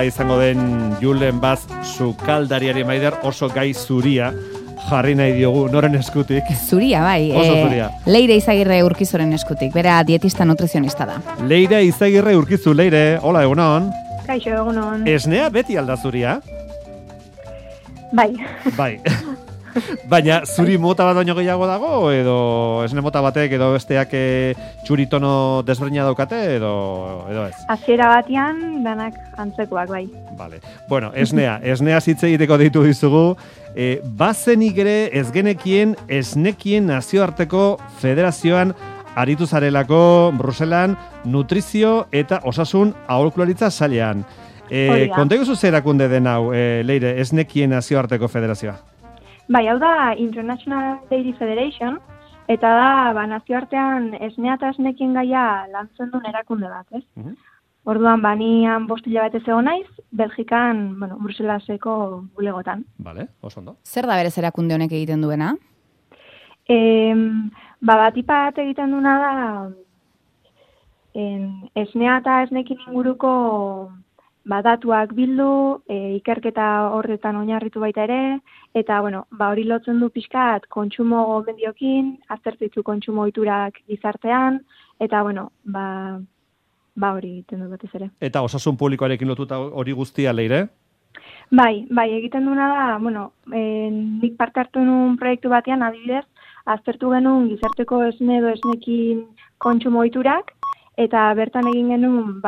nola izango den Julen Baz sukaldariari maider oso gai zuria jarri nahi diogu, noren eskutik. Zuria, bai. Oso zuria. Leire Izagirre Urkizoren eskutik, bera dietista nutrizionista da. Leire Izagirre Urkizu, Leire, hola, egunon. Kaixo, egunon. Esnea beti alda zuria? Bai. Bai. Baina zuri mota bat baino gehiago dago, edo esne mota batek edo besteak txuritono desberdina daukate, edo ez? Hasiera batean danak antzekoak, bai. Vale. Bueno, esnea hitz egiteko deitu dizugu. Bazenik ere ez genekien esnekien nazioarteko federazioan aritu zarelako Bruselan nutrizio eta osasun aholkularitza sailean. Konta iguzu zer erakunde den hau, Leire, esnekien nazioarteko federazioa? Bai, hau da International Dairy Federation, eta da nazioartean esnea eta esnekien gaia lantzen duen erakunde bat, ez? Orduan, nian 5 hilabete egon naiz, Belgikan, Bruselaseko bulegotan. Vale, oso ondo. Zer da berez erakunde honek egiten duena? Batipat egiten duena da esnea eta esnekin inguruko datuak bildu, ikerketa horretan oinarritu baita ere, eta hori lotzen du pixkat kontsumo gomendiokin, aztertzitu kontsumo ohiturak gizartean, eta hori egiten du batez ere. Eta osasun publikoarekin lotuta hori guztia, Leire? Bai, egiten duena da, nik parte hartu nuen proiektu batean, adibidez, aztertu genuen gizarteko esne edo esnekin kontsumo ohiturak, eta bertan egin genuen,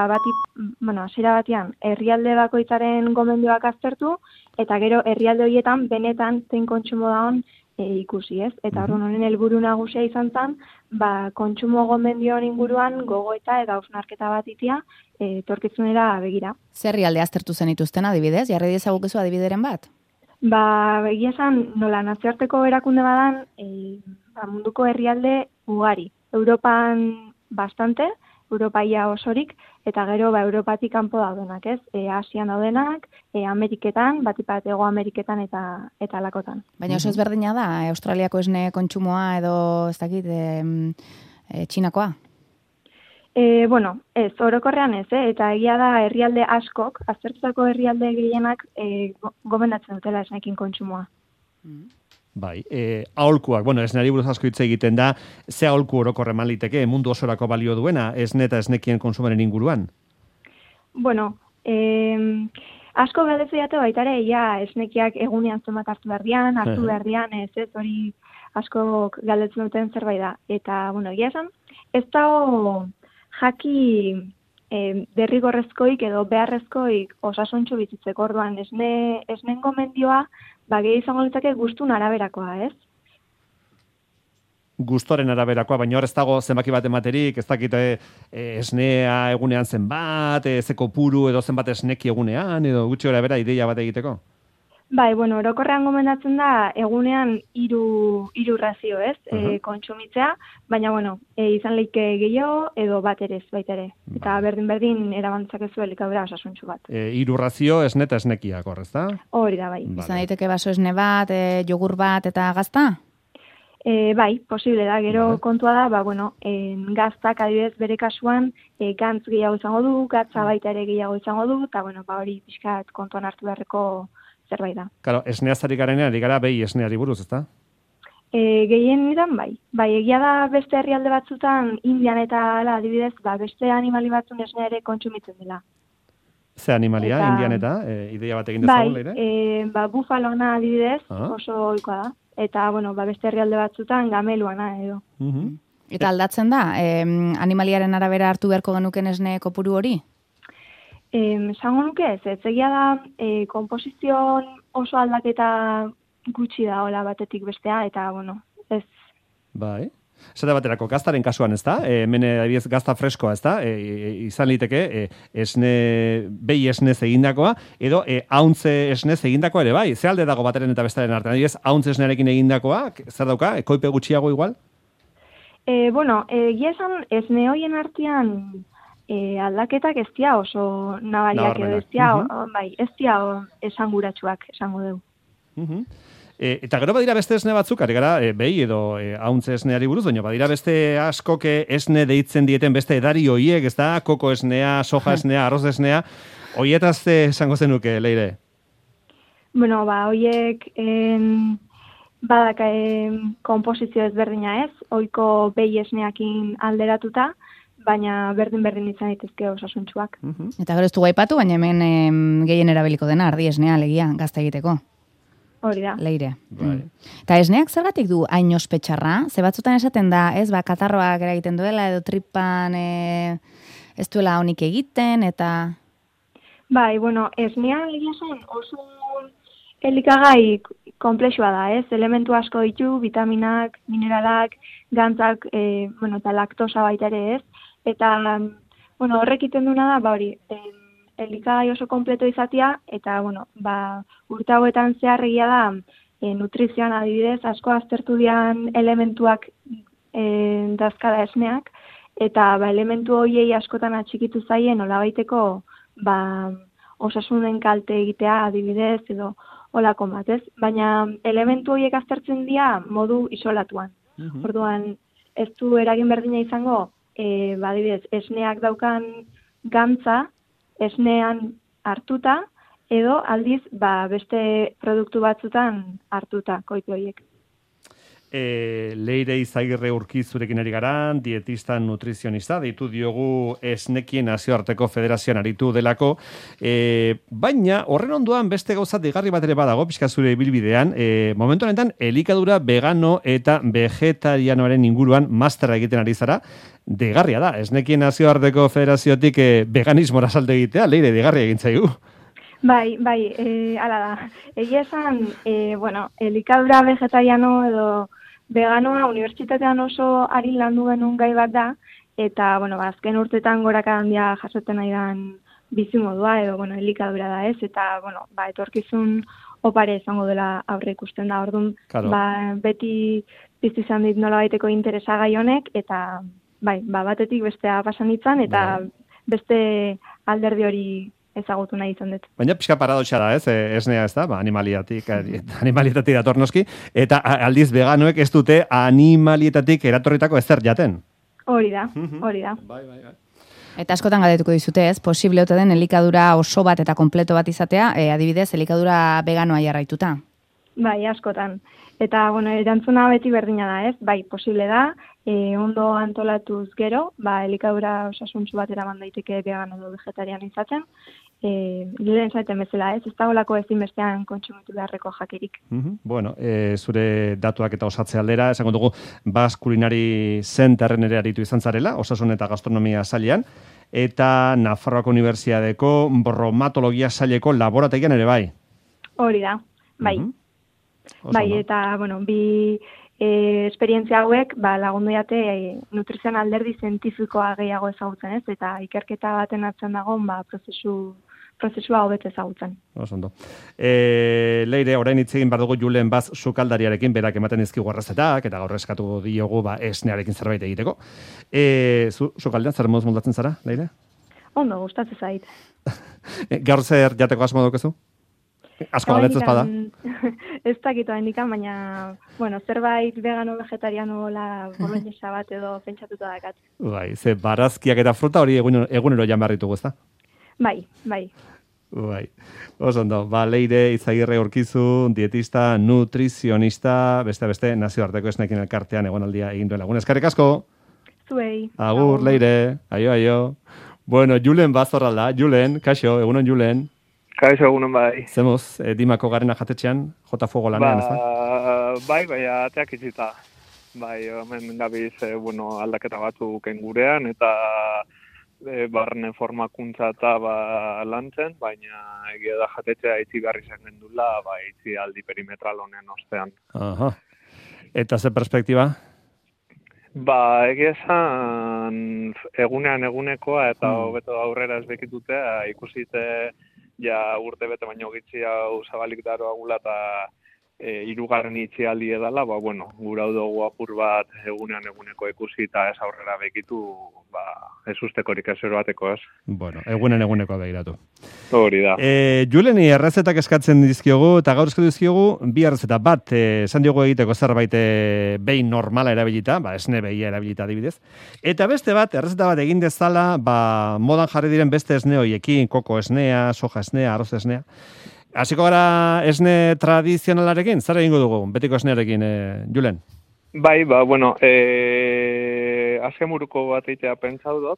hasiera batean, herrialde bakoitzaren gomendioak aztertu, eta gero herrialde horietan benetan zein kontsumo dagoen ikusi, ez? Eta honen helburu nagusia izan zen, kontsumo gomendioan inguruan gogoeta eta hausnarketa bat itia, etorkizunera begira. Zer herrialde aztertu zenituzten adibidez? Jarri dezagukezu adibideren bat? Egia esan, nola nazioarteko erakunde badan, munduko herrialde ugari. Europan bastante, Europaia osorik, eta gero Europatik kanpo daudenak, ez? Asian daudenak, Ameriketan, batipat Hego Ameriketan eta alakotan. Baina oso ezberdina da, Australiako esne kontsumoa edo, ez dakit, Txinakoa? Ez, orokorrean ez, eta egia da herrialde askok, aztertutako herrialde gehienak gomendatzen dutela esnekin kontsumoa. Bai, aholkuak, esneari buruz asko hitz egiten da, ze aholku orokorreman liteke mundu osorako balio duena, esne eta esnekien konsumaren inguruan? Asko galdezu jate baita ere, esnekiak egunean zenbat hartu behar ez hori asko galdetzen duten zerbait da. Eta, egia esan, ez dago jaki derrigorrezkoik edo beharrezkoik osasuntxu bizitzeko orduan esnen gomendioa gehi izango litzake gustun araberakoa, ez? Gustoren araberakoa, baina hor ez dago zenbaki bat ematerik, ez dakite esnea egunean zenbat, ze kopuru edo zenbat esneki egunean, edo gutxi gora bera ideia bat egiteko? Bai, orokorrean gomendatzen da egunean 3 razio, ez? Kontsumitzea, baina izan leike gehiago edo bat ere ez baita ere. Eta berdin erabantzak ez elikadura osasuntxu bat. 3 razio esne eta esnekiak, horrez da? Hori da, bai. Izan daiteke baso esne bat, jogur bat eta gazta? Bai, posible da. Gero kontua da, gaztak adibidez bere kasuan gantz gehiago izango du, gatza baita ere gehiago izango du, eta hori pixkat kontuan hartu beharreko zerbait da. Claro, esneazari garenean, ari gara behi esneari buruz, ezta? Gehien nidan, bai. Bai, egia da beste herrialde batzutan, Indian eta adibidez, beste animali batzun esnea ere kontsumitzen dela. Ze animalia, Indian eta, ideia bat egin dezagun, Leire? Bai, bufalona adibidez, oso ohikoa da. Eta, beste herrialde batzutan gameluana edo. Eta aldatzen da, animaliaren arabera hartu beharko genuken esne kopuru hori? Esango nuke ez egia da konposizioan oso aldaketa gutxi da hola batetik bestea, eta ez. Bai. Zeta baterako, gaztaren kasuan ez da, hemen adibidez gazta freskoa ez da, izan liteke behi esnez egindakoa, edo hauntze esnez egindakoa ere bai, ze alde dago bateren eta bestaren artean, adibidez hauntze esnearekin egindakoa, zer dauka, koipe gutxiago igual? Egia esan esne hoien artean aldaketak ez dira oso nabariak edo ez dira esanguratsuak, esango dugu. Eta gero badira beste esne batzuk, ari gara, behi edo hauntze esneari buruz, baina badira beste askok esne deitzen dieten beste edari hoiek, ez da, koko esnea, soja esnea, arroz esnea, Hoietaz esango zenuke, Leire? Bueno, hoiek badaka komposizio ezberdina ez, ohiko behi esneakin alderatuta, baina berdin izan daitezke osasuntsuak. Eta gero ez dugu aipatu, baina hemen gehien erabiliko dena, ardi esnea, legia, gazta egiteko. Hori da. Leire. Eta esneak zergatik du hain ospetxarra? Ze batzutan esaten da, ez, katarroak eragiten duela, edo tripan ez duela honik egiten, eta... Bai, bueno, esnea egia zen oso elikagai komplexua da, ez? Elementu asko ditu, vitaminak, mineralak, gantzak, eta laktosa baita ere, ez? Eta, horrek iten duna da, hori, elikagai oso kompleto izatea, eta, urte hauetan zeharregia da, nutrizioan adibidez, asko aztertu dian elementuak dazkada esneak, eta elementu horiei askotan atxikitu zaien nolabaiteko osasunen kalte egitea adibidez edo olako bat, ez? Baina elementu horiek aztertzen dira modu isolatuan. Orduan, ez du eragin berdina izango, adibidez, esneak daukan gantza, esnean hartuta, edo aldiz beste produktu batzutan hartuta, koitu horiek. Leire Izagirre Urkizurekin ari gara, dietista nutrizionista, deitu diogu Esnekien Nazioarteko Federazioan aritu delako, baina horren ondoan beste gauza digarri bat ere badago, pixka zure ibilbidean, momentu honetan elikadura vegano eta vegetarianoaren inguruan masterra egiten ari zara, digarria da, Esnekien Nazioarteko Federaziotik veganismora salto egitea, Leire, digarria egin zaigu. Bai, ala da. Egia esan, elikadura vegetariano edo veganoa unibertsitatean oso arin landu genuen gai bat da, eta, azken urtetan goraka handia jasotzen nahi dan bizimodua, edo, elikadura da ez, eta, etorkizun opare izango dela aurre ikusten da, orduan, beti piztu izan dit nola baiteko interesa gai honek, eta, batetik bestea pasan itzan, eta beste alderdi hori ezagutu nahi izan dut. Baina pixka paradoxa da, ez? Esnea ez da, animalietatik dator noski, eta aldiz veganoek ez dute animalietatik eratorritako ezer jaten. Hori da. Bai. Eta askotan galdetuko dizute, ez? Posible ote den elikadura oso bat eta kompleto bat izatea, adibidez, elikadura veganoa jarraituta? Bai, askotan. Eta, erantzuna beti berdina da, ez? Bai, posible da, ondo antolatuz gero, elikadura osasuntsu bat eraman daiteke vegano edo vegetariano izaten, lehen zaiten bezala, ez dagoelako ezinbestean kontsumitu beharreko jakirik. Zure datuak eta osatze aldera, esango dugu Basque Culinary Centerren ere aritu izan zarela, osasun eta gastronomia sailean, eta Nafarroako Unibertsitateko bromatologia saileko laborategian ere bai. Hori da, bai. Eta, bi esperientzia hauek lagundu jate nutrizioan alderdi zientifikoa gehiago ezagutzen, ez? Eta ikerketa baten atzen dagoen prozesua hobet ezagutzen. Osondo. Leire, orain hitz egin behar dugu Julen Baz sukaldariarekin, berak ematen dizkigu arrazetak, eta gaur eskatu diogu esnearekin zerbait egiteko. Sukaldean zer moduz moldatzen zara, Leire? Ondo, gustatzen zait. Gaur zer jateko asmo daukezu? Asko galetzez bada. Ez dakitoa indikan, baina, zerbait vegano, vegetariano, boloñesa bat edo pentsatuta dakat. Bai, ze barazkiak eta fruta hori egunero jan behar ditugu, ezta? Bai. Osondo, Leire Izagirre Urkizu, dietista, nutrizionista, beste nazioarteko esnekin elkartean egonaldia egin duela. Eskerrik asko. Zuei. Agur, Leire. Aio. Bueno, Julen Bazorralda. Julen, kaixo, egunon Julen. Kaixo egunon bai. Zemuz, Dimako Garena jatetxean, jota fuego lanean, ez da? Bai, ateak itzita. Bai, hemen gabiz, aldaketa batzuk gurean, eta barne formakuntza eta lantzen, baina egia da jatetzea itzi garri zen gendula, itzi aldi perimetral honen ostean. Aha. Eta ze perspektiba? Egia esan egunekoa eta hobeto aurrera ez bekitutea ikusite ja urte bete baino gitzi hau zabalik daroa gula eta hirugarren itxialdi edala, ba, bueno, gura dugu apur bat eguneko ikusi eta ez aurrera bekitu, ba, ez ustekorik ezero bateko, ez? Bueno, eguneko begiratu. Hori da. Juleni errezetak eskatzen dizkiogu, eta gaur eskatu dizkiogu, bi errezeta bat, esan diogu egiteko zerbait behin normala erabilita, ba, esne behia erabilita adibidez, eta beste bat, errezeta bat egin dezala, ba, modan jarri diren beste esne hoiekin, koko esnea, soja esnea, arroz esnea. Hasiko gara esne tradizionalarekin, zer egingo dugu, betiko esnearekin, Julen? Bai, ba, bueno, azken buruko bat eitea pentsau dut,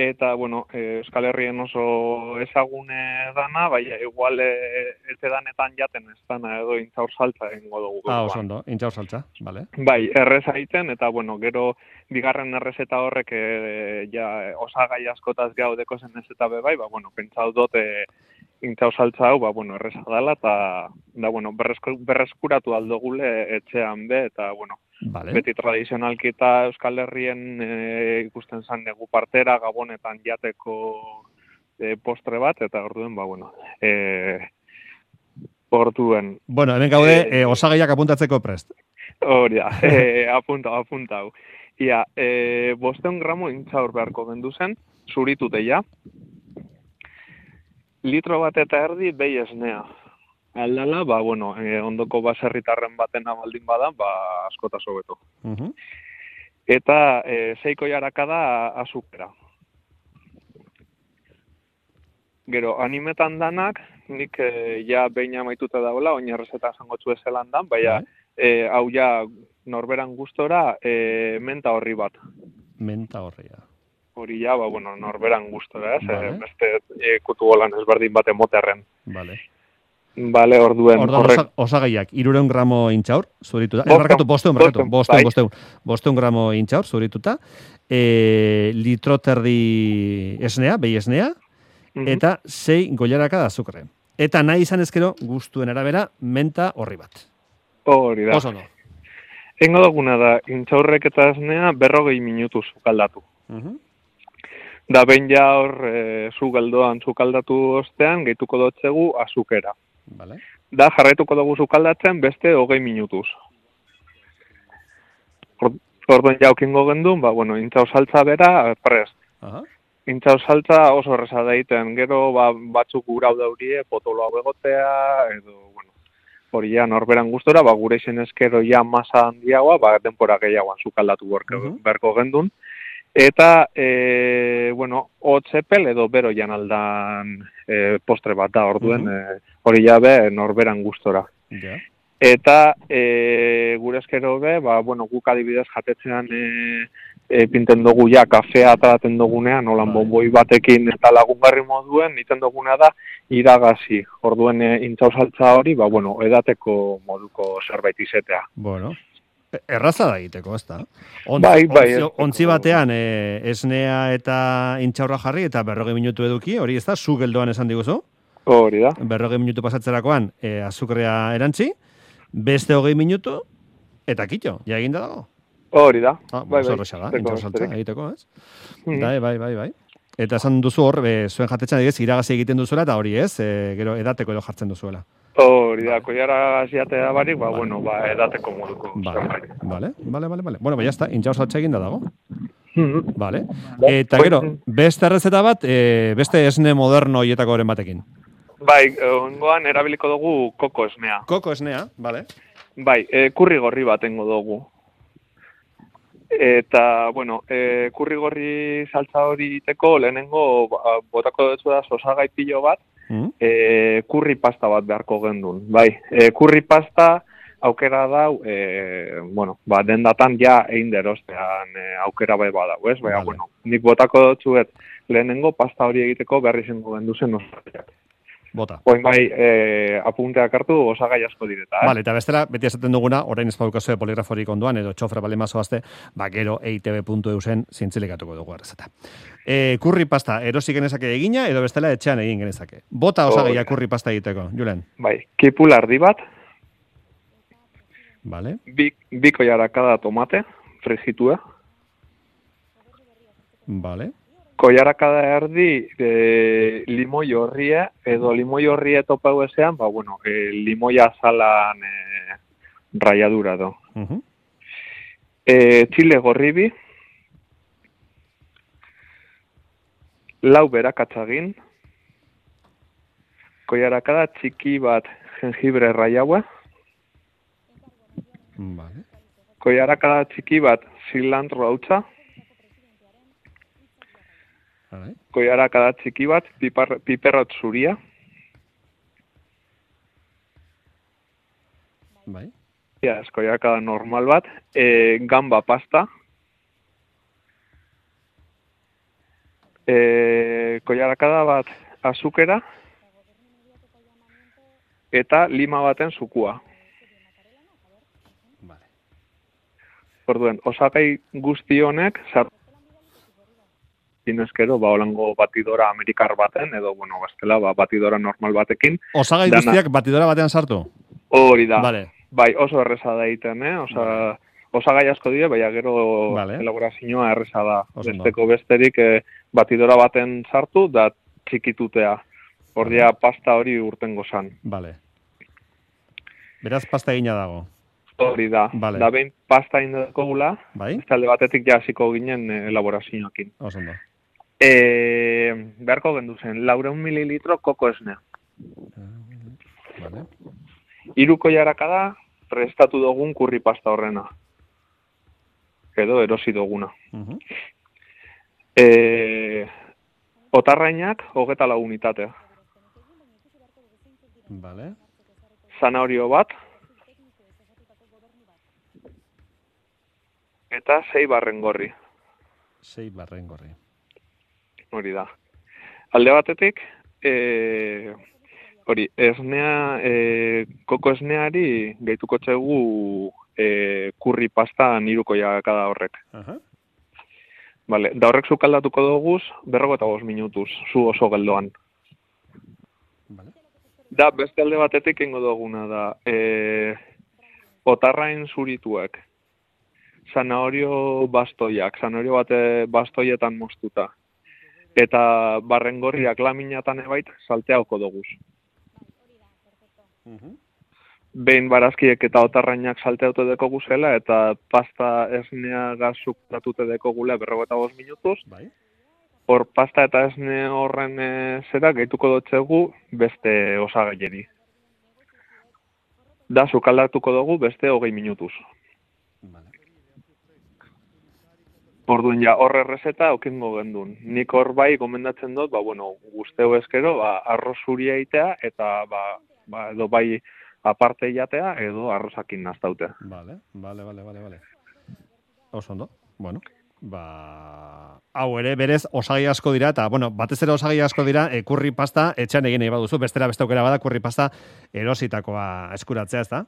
eta, bueno, Euskal Herrien oso ezagune dana, bai, igual ete danetan jaten ez dana edo intzaur saltza egingo dugu. Oso ondo, intzaur saltza, bale. Bai, erreza egiten, eta, bueno, gero bigarren errezeta horrek ja osagai askotaz gaudeko zen ez eta bai, ba, bueno, pentsau dut intzaur saltza hau, ba, bueno, erreza dela, eta, da, bueno, berreskuratu aldogule etxean be, eta, bueno, vale. Beti tradizionalki eta Euskal Herrien ikusten zan negu partera, gabonetan jateko postre bat, eta orduen, ba, bueno, orduen. Bueno, hemen gaude, osagaiak apuntatzeko prest. Hori da, apuntau. Ia, 500 gramo intzaur beharko gendu zen, zuritute ja. Litro bat eta erdi behi esnea. Aldala, ba, bueno, ondoko baserritarren batena baldin badan, ba, askota sobeto. Eta 6 koilaraka da azukera. Gero, animetan danak, nik ja behin amaituta daula, oin errezeta esango txu ezelan dan, baina hau ja norberan gustora menta horri bat. Menta horria. Hori ja, ba, bueno, norberan gustora, ez? Vale. Beste kutu golan ezberdin bat emoterren. Vale. Vale, orduen. Osagaiak, 300 gramo intxaur, zurituta. Barkatu, 500 gramo intxaur, zurituta. Litro terdi esnea, behi esnea, eta 6 goilaraka da azukre. Eta nahi izan ezkero, gustuen arabera, menta horri bat. Hori da. Oso no. Engo duguna da, intxaurrek eta esnea 40 minutu zukaldatu. Da behin ja hor zugaldoan zukaldatu ostean, gehituko dotzegu azukera. Vale. Da jarraituko dugu zukaldatzen beste 20 minutuz. Orduan jaukingo gendun, ba, bueno, intxau saltza bera prest. Intxau saltza oso erreza da egiten, gero ba, batzuk gurau daurie, potolo hau egotea, edo, bueno, hori ja norberan gustora, ba, gure izen eskero ja masa handiagoa, ba, denpora gehiagoan zukaldatu berko gendun. Eta, bueno, hotzepel edo bero jan aldan postre bat da, orduen, hori jabe norberan gustora. Yeah. Eta, gure eskero be, ba, bueno, guk adibidez jatetzean pinten dugu ja kafea ataraten dugunean, holan bonboi batekin eta lagungarri moduen, niten duguna da iragazi. Orduen intxau saltza hori, ba, bueno, edateko moduko zerbait izetea. Bueno. Erraza da egiteko, ez da? Bai. Ontzi batean esnea eta intxaurra jarri eta 40 minutu eduki, hori ez da, zu geldoan esan diguzu? Hori da. 40 minutu pasatzerakoan azukrea erantzi, beste 20 minutu, eta kitxo, ja eginda dago? Hori da. Intxaur saltza egiteko, ez? Bai. Eta esan duzu hor, zuen jatetzen digez, iragazi egiten duzuela, eta hori ez, gero edateko edo jartzen duzuela. Hori da, koiara ziatea barik, ba, bueno, ba, edateko moduko. Vale. Bueno, ba, jazta, intxaur saltza eginda dago. Vale. Eta gero, beste errezeta bat, beste esne moderno hietako horren batekin. Bai, ongoan erabiliko dugu koko esnea. Koko esnea, vale. Bai, kurri gorri bat engo dugu. Eta, bueno, kurri gorri saltza hori iteko, lehenengo botako dutzu da osagai pilo bat, kurri pasta bat beharko gendun. Bai, kurri pasta aukera dau, bueno, ba, dendatan ja egin derostean aukera bai badau, ez? Baina, bueno, nik botako dutzuet lehenengo pasta hori egiteko berri zengo gendu zen osagaiak. Bota. Oin bai, apunteak hartu osagai asko direta. Vale, eta bestela, beti esaten duguna, orain ez paukazue poligraforik onduan, edo txofra bale mazoazte, gero eitb.eusen zintzilikatuko dugu errezeta. Kurri pasta, erosik genezake egina, edo bestela etxean egin genezake. Bota osagaia kurri pasta egiteko, Julen. Bai, kipul ardi bat. Vale. Biko jarakada tomate, frigitua. Vale. Koiarakada erdi limoi horria, edo limoi horria topau ezean, limoi azalan raiadura do. Txile gorribi, lau berakatzagin, koiarakada txiki bat jengibre raiaua, Vale. koiarakada txiki bat cilantro hautsa, koiarakada txiki bat piperrot zuria, Bai. koiarakada normal bat, gamba pasta, koiarakada bat azukera, eta lima baten zukua. Vale. Orduen, osagai guzti honek, zinezkero, holango batidora amerikar baten, edo, bestela, batidora normal batekin. Osagai guztiak batidora batean sartu? Hori da. Vale. Bai, oso erreza da egiten, osagai asko dira, baina gero Vale. elaborazioa erreza da. Oso ondo. Besteko besterik batidora baten sartu, da txikitutea. Ordia pasta hori urtengo zan. Vale. Beraz, pasta egina dago. Hori da. Vale. Da behin pasta indako gula, Bai? talde batetik jasiko ginen elaborazioakin. Oso ondo. Beharko gendu zen, 400 mililitro koko esnea. Vale. 3 koiarakada prestatu dugun kurri pasta horrena. Edo erosi duguna. Otarrainak 24 unitatea. Vale. Zanahorio bat. Eta 6 barrengorri. 6 barrengorri. Hori da. Alde batetik, hori, esnea, koko esneari gehituko txegu kurri pasta 3 koiarakada horrek. Vale, da horrek zukaldatuko duguz 45 minutuz, zu oso geldoan. Vale. Da, beste alde batetik ingo duguna da, otarrain zurituak, zanahorio bastoiak, zanahorio bate bastoietan moztuta, eta barrengorriak laminatan ebait salteauko duguz. Behin barazkiek eta otarrainak salteauto deko guzela, eta pasta esnea gazuk datute deko gula 45 minutuz. Bai. Hor pasta eta esne horren zera gehituko dutxegu beste osagaieri. Da, sukaldatuko dugu beste 20 minutuz. Vale. Orduan ja, horre errezeta okingo gendun. Nik hor bai gomendatzen dut, guzteu ezkero, arroz zuria itea, eta edo bai aparte jatea, edo arrozakin naztaute. Vale. Oso ondo. Bueno, hau ere, berez, osagai asko dira, eta, batez ere osagai asko dira, kurri pasta etxean egin nahi baduzu, bestera beste aukera bada, kurri pasta erositakoa eskuratzea, ez da?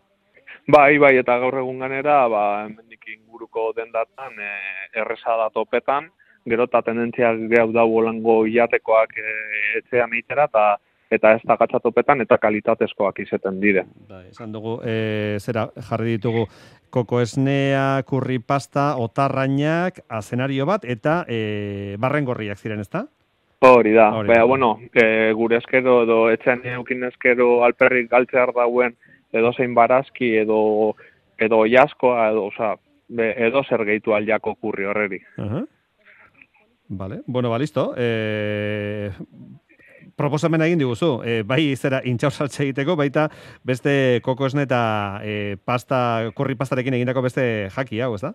Bai, eta gaur egun ganera, hemendik inguruko dendatan, erreza da topetan, gero eta tendentzia gehau da holango iatekoak etxean eitera, eta ez da gatzatopetan, eta kalitatezkoak izeten dire. Esan dugu, jarri ditugu koko esnea, kurri pasta, otarrainak, azenario bat, eta barrengorriak ziren, ez da? Hori da. Gure eskero, edo etxean eukin eskero alperrik galtzear dauen, edo zein barazki, edo jaskoa, edo zer gehitu aldako kurri horreri. Vale, listo. Proposamena egin diguzu, bai zera intxaur saltze egiteko, baita beste koko esne eta kurri pastarekin egindako beste jaki hau, ez da?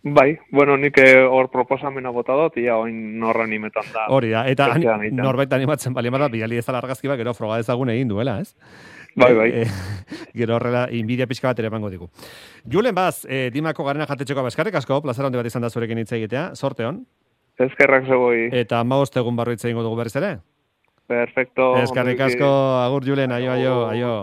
Bai, nik hor proposamena bota dut, oin norra animetan da. Hori da, eta norbait animatzen bali emara, bidali ez da argazki bat, gero froga ezagun egin duela, ez? Bai. Gero horrela, inbidia pixka bat ere emango digu. Julen Baz, Dimako Garena Jatetxeko eskerrik asko, plazera handi bat izan da zurekin hitz egitea, sorte hon. Eskerrak zegoi. Eta 15 egun barru hitz egingo dugu berriz ere? Perfecto. Eskerrik asko, agur Julen, aio.